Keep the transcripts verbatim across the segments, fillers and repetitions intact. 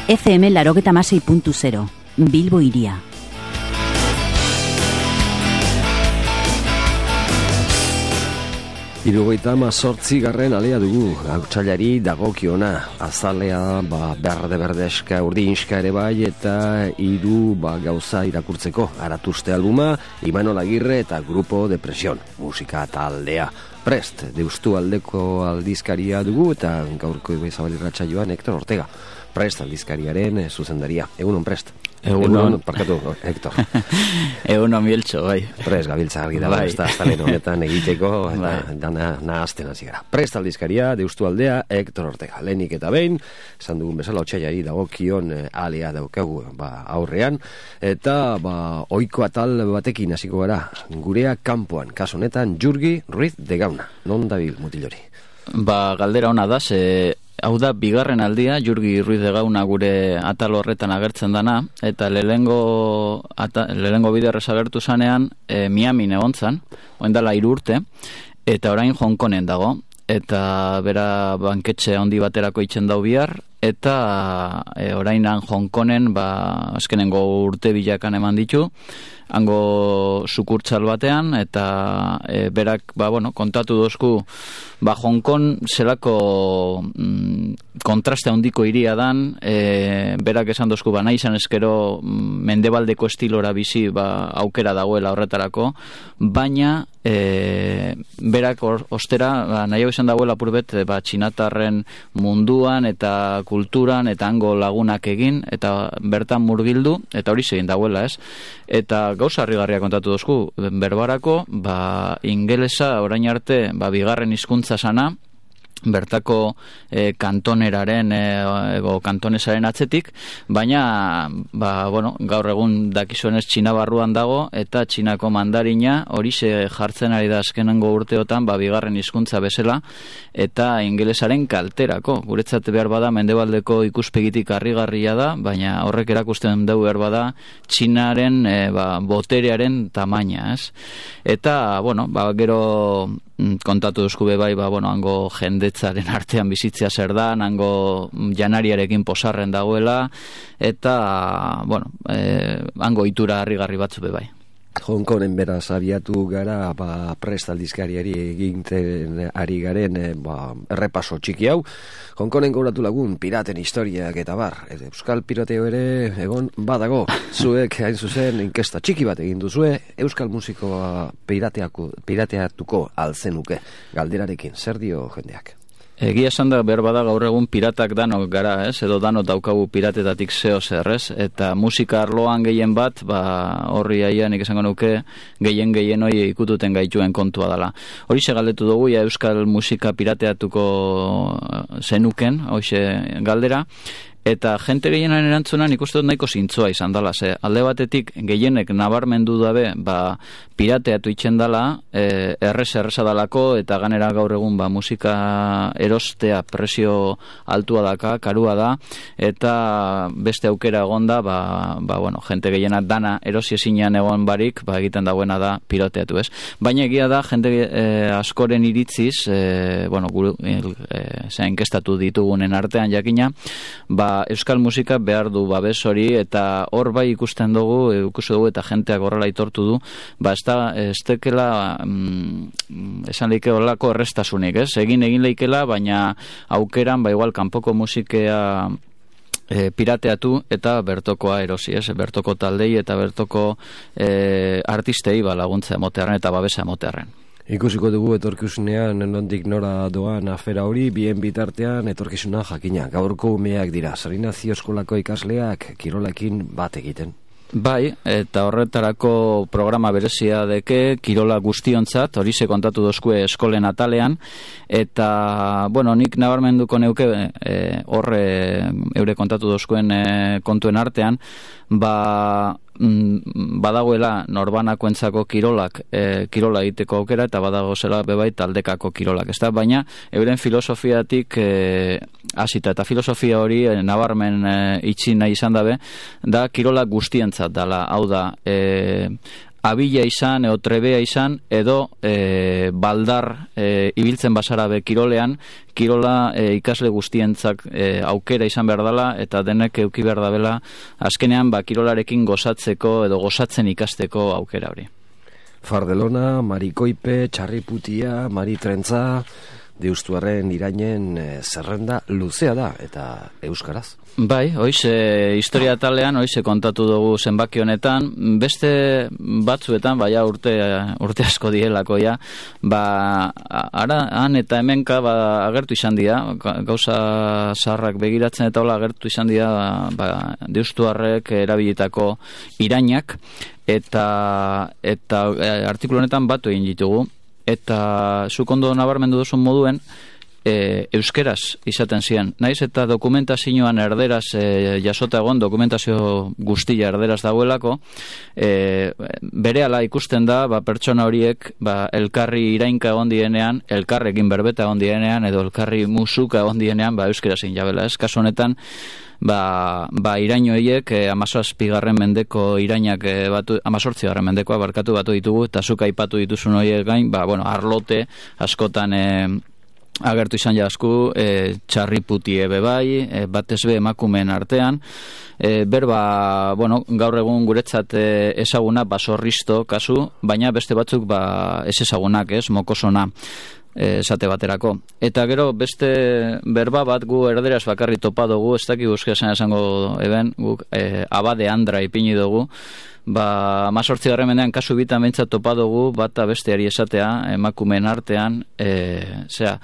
F M laurogeita hamasei puntu zero, Bilbo Hiria. Hirurogeita hamazortzi garren alea dugu, hautsailari dagokiona, azalea ba, berde-berdeska, urdinska ere bai, eta hiru ba, gauza irakurtzeko, Aratuzte albuma, Imanol Agirre eta Grupo Depresión, musika taldea. Prest, Deustu aldeko aldizkaria dugu, eta gaurko Zabalirratxa joan Hector Ortega. Prest aldizkariaren zuzendaria. Egunon, Prest. Egunon, parkatu, Hector. Egunon, Mieltxo, bai. Prest, gabiltza argi da, bai. ez da, aztalen honetan egiteko, eta dana nahazten hasi gara. Prest aldizkaria, Deustu aldea, Hector Ortega. Lehenik eta behin, esan dugun bezala, otsailari dagokion alea daukagu ba, aurrean, eta ba, ohiko atal batekin hasiko gara, gurea kanpoan, kasu honetan, Jurgi Ruiz de Gauna. Non dabil, mutilori? Ba, galdera ona da, ze hau da bigarren aldia, Jurgi Ruiz de Gauna gure atal horretan agertzen dana, eta lehengo lehengo biderrez agertu zanean, e, Miami egontzan, oendala hiru urte, eta orain Hong Kongen dago, eta bera banketxe handi baterako itzen dau bihar, eta e, orainan Hong Kongen, ba, azkenengo urte bilakan eman ditu, hango sukurtzal batean, eta e, berak, ba, bueno, kontatu dozku, ba, Hong Kong zelako mm, kontraste handiko hiria dan, e, berak esan dozku, ba, nahi izan eskero mendebaldeko estilora bizi, ba, aukera dagoela horretarako, baina e, berak or, ostera, ba, nahi hau izan dagoela purbet, ba, txinatarren munduan eta kulturan eta hango lagunak egin, eta bertan murgildu, eta hori zegin dagoela, ez? Eta gauza harrigarria kontatu dozku, berbarako, ba, ingelesa orain arte, ba, bigarren hizkuntza sana, bertako e, kantoneraren e, ego kantonesaren atzetik, baina ba, bueno, gaur egun dakizuenez Txina barruan dago, eta Txinako mandarina horixe jartzen ari da azkenengo urteotan, ba, bigarren hizkuntza bezala, eta ingelesaren kalterako. Guretzat behar bada mendebaldeko ikuspegitik harrigarria da, baina horrek erakusten dugu behar bada Txinaren e, ba, boterearen tamaina, ez? Eta, bueno, ba, gero kontatu duzku bai, ba, bueno, hango jendetzaren artean bizitzea zer da, hango janariarekin posarren dagoela, eta, bueno, eh, hango itura harrigarri batzu be bai. Hong Kongen beraz abiatu gara, ba, Prest aldizkariari eginten ari garen e, ba, errepaso txiki hau. Hong Kongen gauratu lagun piraten historiak eta bar. Euskal pirateo ere egon badago. Zuek hain zuzen inkesta txiki bat egin duzue, euskal musikoa pirateatuko alzenuke. Galderarekin, zer dio jendeak? Egia esan da behar bada gaur egun piratak danok gara, ez? Edo danok daukagu piratetatik zeo zer, ez? Eta musika arloan gehien bat, ba, horri aia nik esango nuke gehien gehien hoi ikututen gaituen kontua dela. Hori se galdetu dugu, ja euskal musika pirateatuko zenuken, hoxe galdera, eta jente gehienaren erantzunan ikusten dut nahiko zintzoa izan dela, ze alde batetik gehienek nabarmendu dabe, ba, pirateatu itzen dela, e, errez erreza dalako, eta ganera gaur egun ba, musika erostea presio altua daka, karua da, eta beste aukera egonda, ba, ba, bueno, jente gehiena dana erosi ezinean egon barik, ba, egiten dagoena da pirateatu, ez? Baina egia da, jente e, askoren iritziz, e, bueno, guru, e, e, inkestatu ditugunen artean jakina, ba, euskal musika behar du babes hori, eta hor bai ikusten dugu, ikusi dugu eta jenteak horrela aitortu du, ba ez da, ez tekela mm, esan leike horrelako errestasunik, ez? Egin egin leikela, baina aukeran, ba igual, kanpoko musikea e, pirateatu eta bertokoa erosi, ez? Bertoko taldei eta bertoko e, artistei ba, laguntza emotearen eta babesa emotearen. Ikusiko dugu etorkizunean nondik nora doan afera hori, bien bitartean etorkizuna jakina. Gaurko umeak dira, Sarinazio eskolako ikasleak kirolekin bat egiten. Bai, eta horretarako programa berezia deke, kirola guztiontzat, hori ze kontatu dozkue eskolen atalean, eta, bueno, nik nabarmenduko neuke, e, horre eure kontatu dozkuen e, kontuen artean, ba, badagoela norbanakoentzako kirolak e, kirola egiteko aukera, eta badago zela bebai taldekako kirolak, ezta? Baina euren filosofiatik e, hasita, eta filosofia hori e, nabarmen e, itxi nahi izan dabe, da kirola guztientzat dala, hau da, e, abila izan, edo trebea izan, edo e, baldar e, ibiltzen basara be kirolean, kirola e, ikasle guztientzak e, aukera izan behar dela, eta denek euki behar dabela, azkenean ba, kirolarekin gozatzeko edo gozatzen ikasteko aukera hori. Fardelona, Marikoipe, Txarriputia, Maritrentza, Deustuarren irainen e, zerrenda luzea da, eta euskaraz. Bai, hoize historia talean, hoize kontatu dugu zenbaki honetan, beste batzuetan, baina urte, urte asko dielako ja, ba, ara, han eta hemenka ba, agertu izan dira, gauza zaharrak begiratzen eta hola agertu izan dira, ba, Deustuarrek erabilitako irainak, eta, eta artikulu honetan batu egin ditugu, eta zuk ondo nabarmendu duzun moduen, e, euskeraz izaten ziren. Naiz eta dokumentazioan erderaz e, jasota egon, dokumentazio guztia erderaz dagoelako, e, berehala ikusten da, ba, pertsona horiek ba, elkarri irainka egon dienean, elkarrekin berbeta egon dienean, edo elkarri musuka egon dienean, ba, euskeraz injabela. Ez, kasu honetan, ba, ba iraino horiek e, amazazpigarren mendeko irainak e, batu, amazortzigarren mendekoa barkatu batu ditugu, eta zuk aipatu dituzun horiek gain, ba, bueno, arlote askotan e, agertu izan jasku, e, Txarriputie bebai, e, batez be emakumeen artean, e, berba, bueno, gaur egun guretzat e, ezaguna basorristo kasu, baina beste batzuk ba, ez ezagunak, ez, mokosona, esate baterako. Eta gero beste berba bat gu erderaz bakarri topa dugu, ez dakik euskarazan esango eben, guk e, abade andra ipini dugu, ba, amazortzigarren mendean kasu bitan behintzat topa dugu, bata besteari esatea, emakumeen artean, e, zera,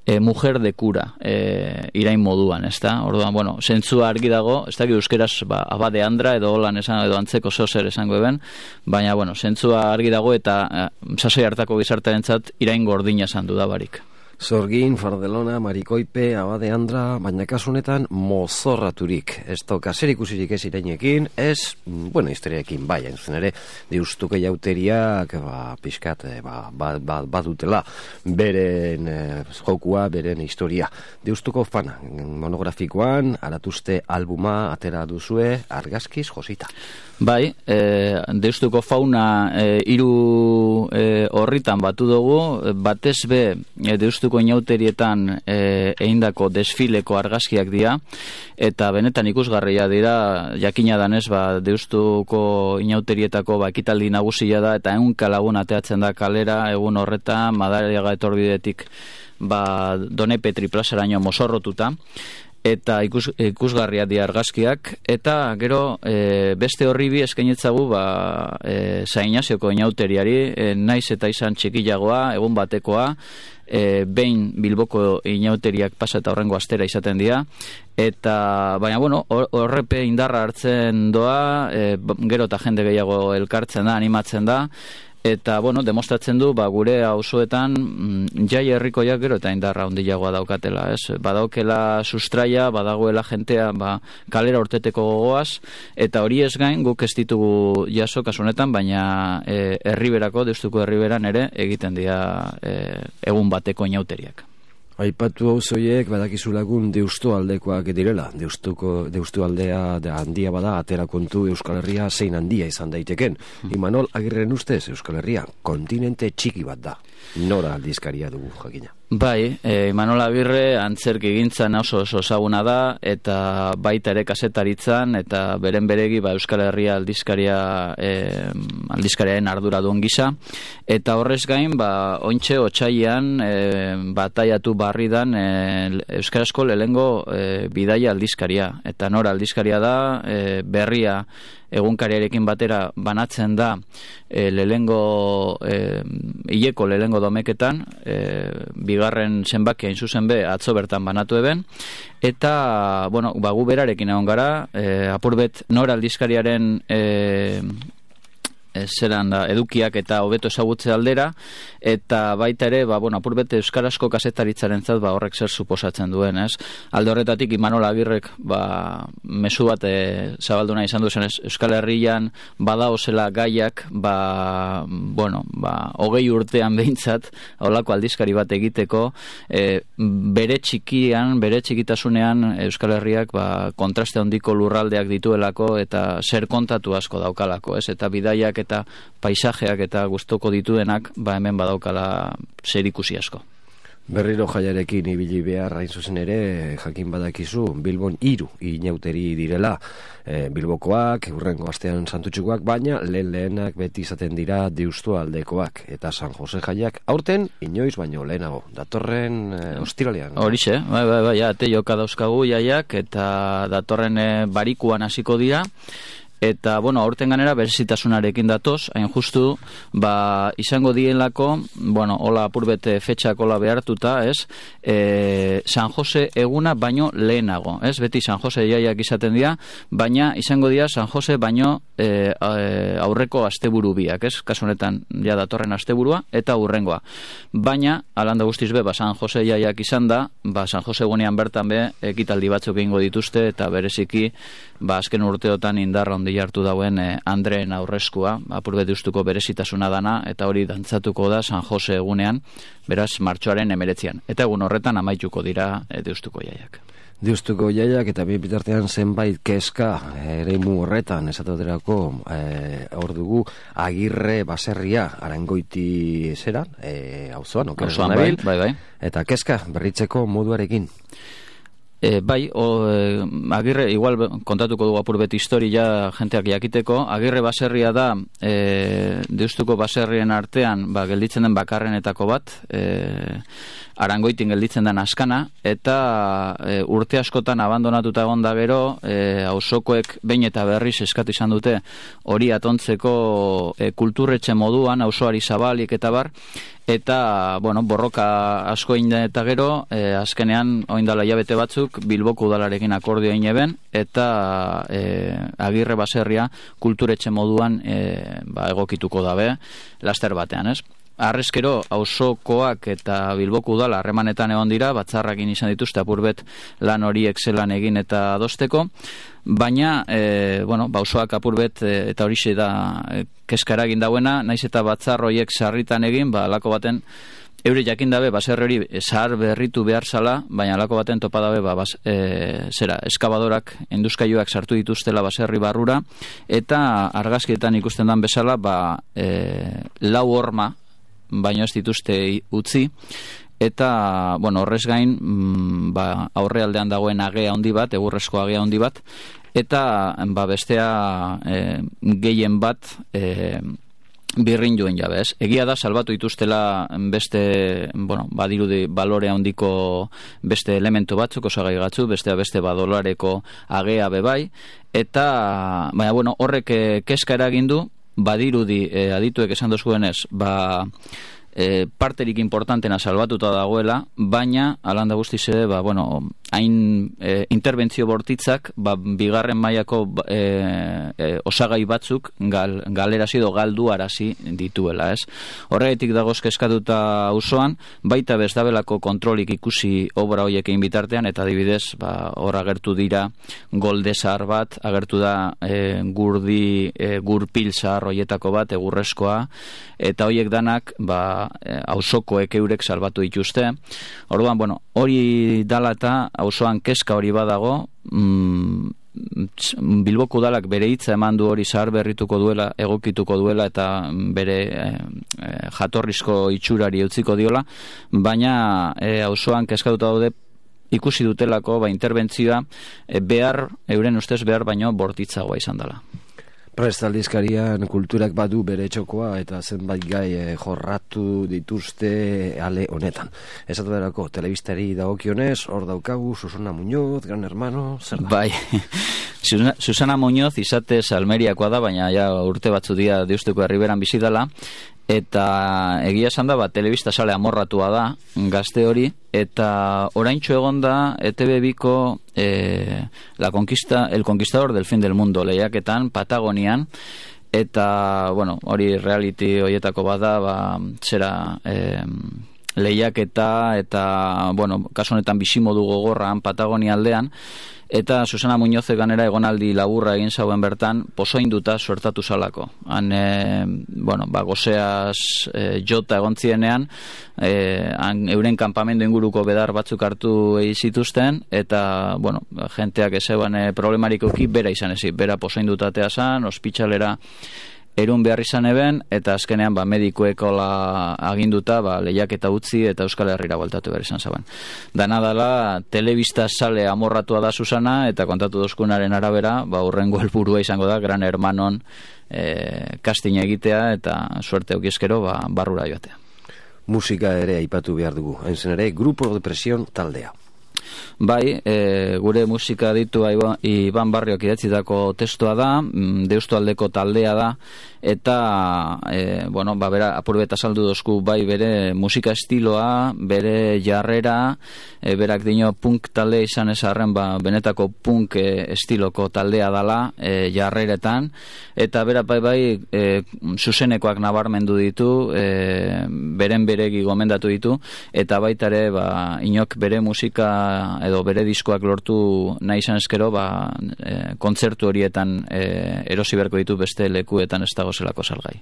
e, mujer de cura, e, irain moduan, ez da? Orduan, bueno, zentzua argi dago, ez dakik euskeraz, ba, abade andra, edo holan esan, edo antzeko zozer esango eben, baina, bueno, zentzua argi dago, eta e, sasoi hartako gizartearentzat irain gordina esan dudabarik. Zorgin, Fardelona, Marikoipe, Abade Andra, baina kasunetan mozorraturik. Ez toka zer ikusirik ez irainekin, ez, bueno, historiaekin bai, hain zuzen ere, Deustuko jauteriak, ba, pixkat, ba, ba, ba, badutela, beren eh, jokua, beren historia. Deustuko fana, monografikoan, aratuzte albuma atera duzue, argazkiz josita. Bai, e, Deustuko fauna e, hiru e, horritan batu dugu, batez be e, Deustuko inauterietan e, eindako desfileko argazkiak dira, eta benetan ikusgarria dira, jakina danez, ba, Deustuko inauterietako ba, ekitaldi nagusia da, eta ehunka lagun ateatzen da kalera, egun horretan, Madariaga etorbidetik ba, Done Petri plazaraino mozorrotuta, eta ikus, ikusgarria di argazkiak, eta gero e, beste horribi eskainetzagu ba, e, Zainazioko inauteriari, e, naiz eta izan txikiagoa, egun batekoa, e, behin Bilboko inauteriak pasa eta horrengo astera izaten dira, eta baina bueno, horrepe indarra hartzen doa, e, gero eta jende gehiago elkartzen da, animatzen da, eta, bueno, demostratzen du, ba, gure auzoetan mm, jai herrikoiak gero eta indarra handiagoa daukatela, ez? Badaukela sustraia, badagoela jentea, ba, kalera urteteko gogoaz, eta hori ez gain, guk ez ditugu jaso kasu honetan, baina e, herriberako, Deustuko herriberan ere, egiten dira e, egun bateko inauteriak. Aipatu auzoiek badakizu lagun Deustu aldekoak direla. Deustuko Deustu aldea da handia bada, atera kontu Euskal Herria zein handia izan daiteken. Mm. Imanol Agirren ustez Euskal Herria kontinente txiki bat da. Nora aldizkaria dugu jakina. Bai, e, Imanol Agirre antzerki gintzan oso oso ezaguna da, eta baita ere kasetaritzan, eta beren beregi ba, Euskal Herria aldizkaria e, aldizkariaren arduradun gisa, eta horrez gain, ba, ontxe otsailean e, bataiatu barridan e, euskarazko lehengo e, bidaia aldizkaria, eta nora aldizkaria da, e, berria egunkariarekin batera banatzen da e, lehengo e, hileko lehengo domeketan, e, bigarren zenbakia hain zuzen be atzo bertan banatu eben, eta bueno, ba, gu berarekin egon gara, e, apurbet nora aldizkariaren e, zeran da, edukiak eta hobeto ezagutze aldera, eta baita ere, ba, bueno, apurbete euskarazko kasetaritzaren zat, ba, horrek zer suposatzen duen, ez? Alde horretatik, Imanol Agirrek, ba, mezu bat e, zabalduna izan duzen, ez? Euskal Herrian badaozela gaiak, ba, bueno, ba, hogei urtean behintzat, holako aldizkari bat egiteko, e, bere txikian, bere txikitasunean, Euskal Herriak, ba, kontraste handiko lurraldeak dituelako, eta zer kontatu asko daukalako, ez? Eta bidaiak eta paisajeak eta gustoko dituenak, ba hemen badaukala zerikusi asko. Berriro jaiarekin ibili behar hain zuzen ere, jakin badakizu, Bilbon hiru inauteri direla, e, Bilbokoak, hurrengo astean Santutxukoak, baina lehen lehenak beti izaten dira Deustu aldekoak, eta San Jose jaiak aurten inoiz baino lehenago, datorren e, ostiralean. Horixe, bai, bai, bai, ate joka dauzkagu jaiak, eta datorren e, barikuan hasiko dira, eta, bueno, aurten ganera berezitasunarekin datoz, hain justu, ba, izango dienlako, bueno, hola apurbete fetxak hola behartuta, ez, e, San Jose eguna baino lehenago, ez, beti San Jose jaiak izaten dira, baina izango dira San Jose baino e, aurreko asteburu biak, ez, kasu honetan, ja datorren asteburua, eta hurrengoa. Baina, alanda guztiz be, ba, San Jose jaiak izan da, ba, San Jose egunean bertan be, ekitaldi batzuk egingo dituzte, eta bereziki, ba, azken urteotan indarra ondi hartu dauen eh, Andreen aurreskua, apurbet ustuko berezitasuna dana, eta hori dantzatuko da San Jose egunean, beraz martxoaren emeretzian. Eta egun horretan amaituko dira e, deustuko jaiak. Deustuko jaiak eta bi bitartean zenbait kezka eremu horretan, esatoterako e, hor dugu Agirre baserria Arangoiti zeran, e, auzoan, auzoan bai, bai, bai. Eta kezka berritzeko moduarekin. E, bai, o, e, Agirre, igual kontatuko dugu apurbet historia jenteak jakiteko, Agirre baserria da e, Deustuko baserrien artean ba, gelditzen den bakarrenetako bat, e, Arangoitin gelditzen den askana, eta e, urte askotan abandonatuta egon da gero, e, auzokoek behin eta berriz eskatu izan dute hori atontzeko e, kulturretxe moduan, auzoari zabalik eta bar, eta, bueno, borroka asko egin eta gero, e, azkenean, oindala hilabete batzuk, Bilboko udalarekin akordioa egin eben, eta e, Agirre baserria kulturetxe moduan e, ba, egokituko dabe, laster batean, ez? Arrezkero, auzokoak eta Bilboko udala harremanetan egon dira, batzarrakin izan dituzte apurbet lan horiek zelan egin eta adosteko, baina, e, bueno, auzoak apurbet e, eta horixe da e, kezka eragin dauena, naiz eta batzar horiek sarritan egin, ba, alako baten, eure jakin dabe, baserri hori zahar berritu behar zala, baina alako baten topa dabe, ba, bas, e, zera, eskabadorak, induzkailuak sartu dituztela baserri barrura, eta argazkietan ikusten dan bezala, ba, e, lau horma, baino ez dituzte utzi, eta, bueno, horrez gain, mm, ba, aurrealdean dagoen agea handi bat, egurrezko agea handi bat, eta, ba, bestea e, gehien bat, e, birrin joen jabe, ez? Egia da, salbatu dituztela beste, bueno, badirudi balore handiko beste elemento batzuk, osagai gatzu, bestea beste badolareko agea bebai, eta, baina, bueno, horrek kezka eragindu, badirudi e, adituek esan dozguenez, ba, e, parterik importantena salbatuta dagoela, baina, alanda guztiz ere, ba, bueno, hain e, interbentzio bortitzak, ba, bigarren mailako e, e, osagai batzuk gal, galerazi edo galduarazi dituela, ez? Horregatik dagoz kezkatuta auzoan, baita bezdabelako kontrolik ikusi obra hoiek egin bitartean, eta adibidez, ba, hor agertu dira golde zahar bat, agertu da e, gurdi, e, gurpil zahar hoietako bat, egurrezkoa, eta hoiek danak, ba, e, auzokoek eurek salbatu dituzte. Orduan, bueno, hori dala eta auzoan kezka hori badago, mm, Bilboko udalak bere hitza eman du hori zahar berrituko duela, egokituko duela eta bere e, e, jatorrizko itxurari utziko diola, baina e, auzoan kezkatuta daude ikusi dutelako ba, interbentzioa e, behar, euren ustez behar baino bortitzagoa izan dela. Prest aldizkarian kulturak badu bere txokoa eta zenbait gai eh, jorratu dituzte ale honetan. Esatu berako, telebistari dagokionez, hor daukagu, Susana Muñoz, Gran Hermano, zer da? Bai, Susana Muñoz izatez Almeriakoa da, baina ja urte batzu dia Deustuko herriberan bizi dela, eta egia esan da, ba, telebista sale amorratua da, gazte hori, eta oraintxo egon da E Te Be biko eh, la conquista, el conquistador del fin del mundo lehiaketan Patagonian, eta, bueno, hori reality horietako bada, ba, zera eh, lehiaketa, eta, bueno, kasu honetan bizimodu gogorran Patagonia aldean, eta Susana Muñoz ganera egonaldi laburra egin zauen bertan pozoinduta suertatu salako. Han, e, bueno, ba, gozeaz e, jota egontzienean, e, han euren kanpamendu inguruko bedar batzuk hartu zituzten, eta, bueno, jenteak ezeban e, problemarik uki, bera izan ezi, bera pozoindutatea zan, ospitxalera erun behar izan eben, eta azkenean ba, medikuekola aginduta ba, lehiaketa utzi eta Euskal Herrira bueltatu behar izan zaban. Dana dala, telebista sale amorratua da Susana, eta kontatu dozkunaren arabera, ba, urrengo helburua izango da, Gran Hermanon e, casting egitea, eta suerte eukizkero ba, barrura joatea. Musika ere aipatu behar dugu, hain zen ere, Grupo de Presión taldea. Bai, e, gure musika ditu Iban Barriok idatzitako testua da, Deustualdeko taldea da, eta e, bueno, ba, bera, apurbeta saldu dozku bai bere musika estiloa, bere jarrera, e, berak dino punk taldea izan ezarren, ba, benetako punk e, estiloko taldea dala e, jarreretan, eta bera bai bai e, zuzenekoak nabarmendu ditu, e, beren beregi gomendatu ditu, eta baita ere ba, inok bere musika edo bere diskoak lortu nahi izan eskero, ba, e, kontzertu horietan e, erosi beharko ditu beste lekuetan ez dago zelako salgai.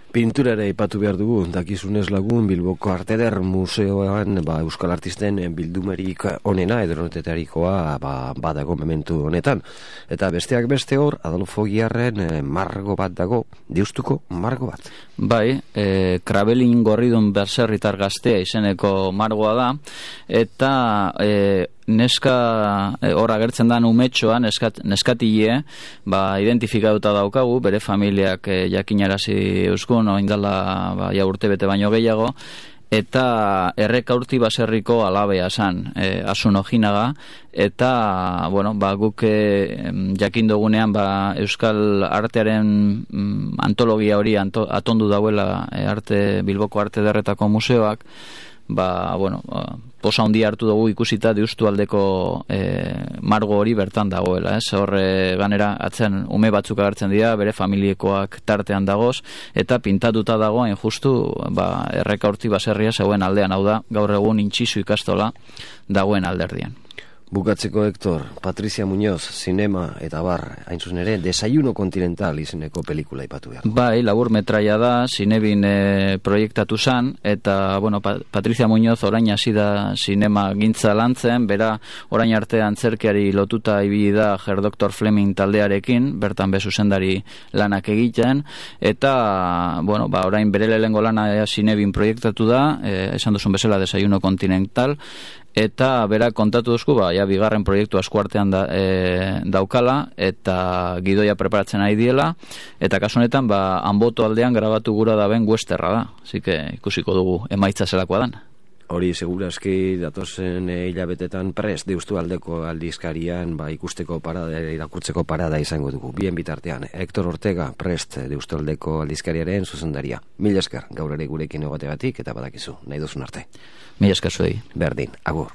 Pintura ere aipatu behar dugu, dakizunez lagun Bilboko Arte Eder Museoan ba, Euskal Artisten bildumerik onena edonotetarikoa ba, badago momentu honetan. Eta besteak beste hor, Adolfo Giarren e, margo bat dago, Deustuko margo bat. Bai, e, Krabelin Gorridun Berserritar Gaztea izeneko margoa da, eta e, neska hor agertzen da umetxoa, neskat, neskatile, ba, identifikatuta daukagu, bere familiak e, jakinarazi euskun, oindala ba, ja urte bete baino gehiago, eta Errekaurti baserriko alabea zan, e, Asun Ojinaga, eta bueno, ba, guk e, jakin dugunean ba, Euskal artearen mm, antologia hori anto, atondu dauela e, arte, Bilboko Arte Ederretako museoak, ba, bueno, posa handi hartu dugu ikusita Deustualdeko e, margo hori bertan dagoela, ez? Horre ganera atzen ume batzuk agertzen dira, bere familiekoak tartean dagoz, eta pintatuta dagoen justu ba, Errekaurti baserria zegoen aldean, hau da, gaur egun Intxizu ikastola dagoen alderdian. Bukatzeko, Hector, Patricia Muñoz, zinema eta bar, hain zuzen ere, Desayuno Continental izeneko pelikula ipatu behar. Bai, labur metraia da, zinebin e, proiektatu zan, eta, bueno, pa, Patricia Muñoz orain hasi da zinema gintza lantzen, bera orain arte antzerkiari lotuta ibili da Herr Doktor Fleming taldearekin, bertan be zuzendari lanak egiten, eta, bueno, ba, orain bere lehengo lana zinebin proiektatu da, e, esan duzun bezala Desayuno Continental, eta bera kontatu duzku, ba, ja, bigarren proiektu askuartean da, e, daukala, eta gidoia preparatzen ari diela, eta kasu honetan, ba, Anboto aldean grabatu gura da ben westerra da, así que ikusiko dugu emaitza zelakoa dan. Hori segurazki datozen hilabetetan prest Deustualdeko aldizkarian ba, ikusteko parada, irakurtzeko parada izango dugu. Bien bitartean, Hector Ortega prest Deustualdeko aldizkariaren zuzendaria. Mila esker gaur ere gurekin egotegatik eta badakizu, nahi duzun arte. Mila esker zuei. Berdin, agur.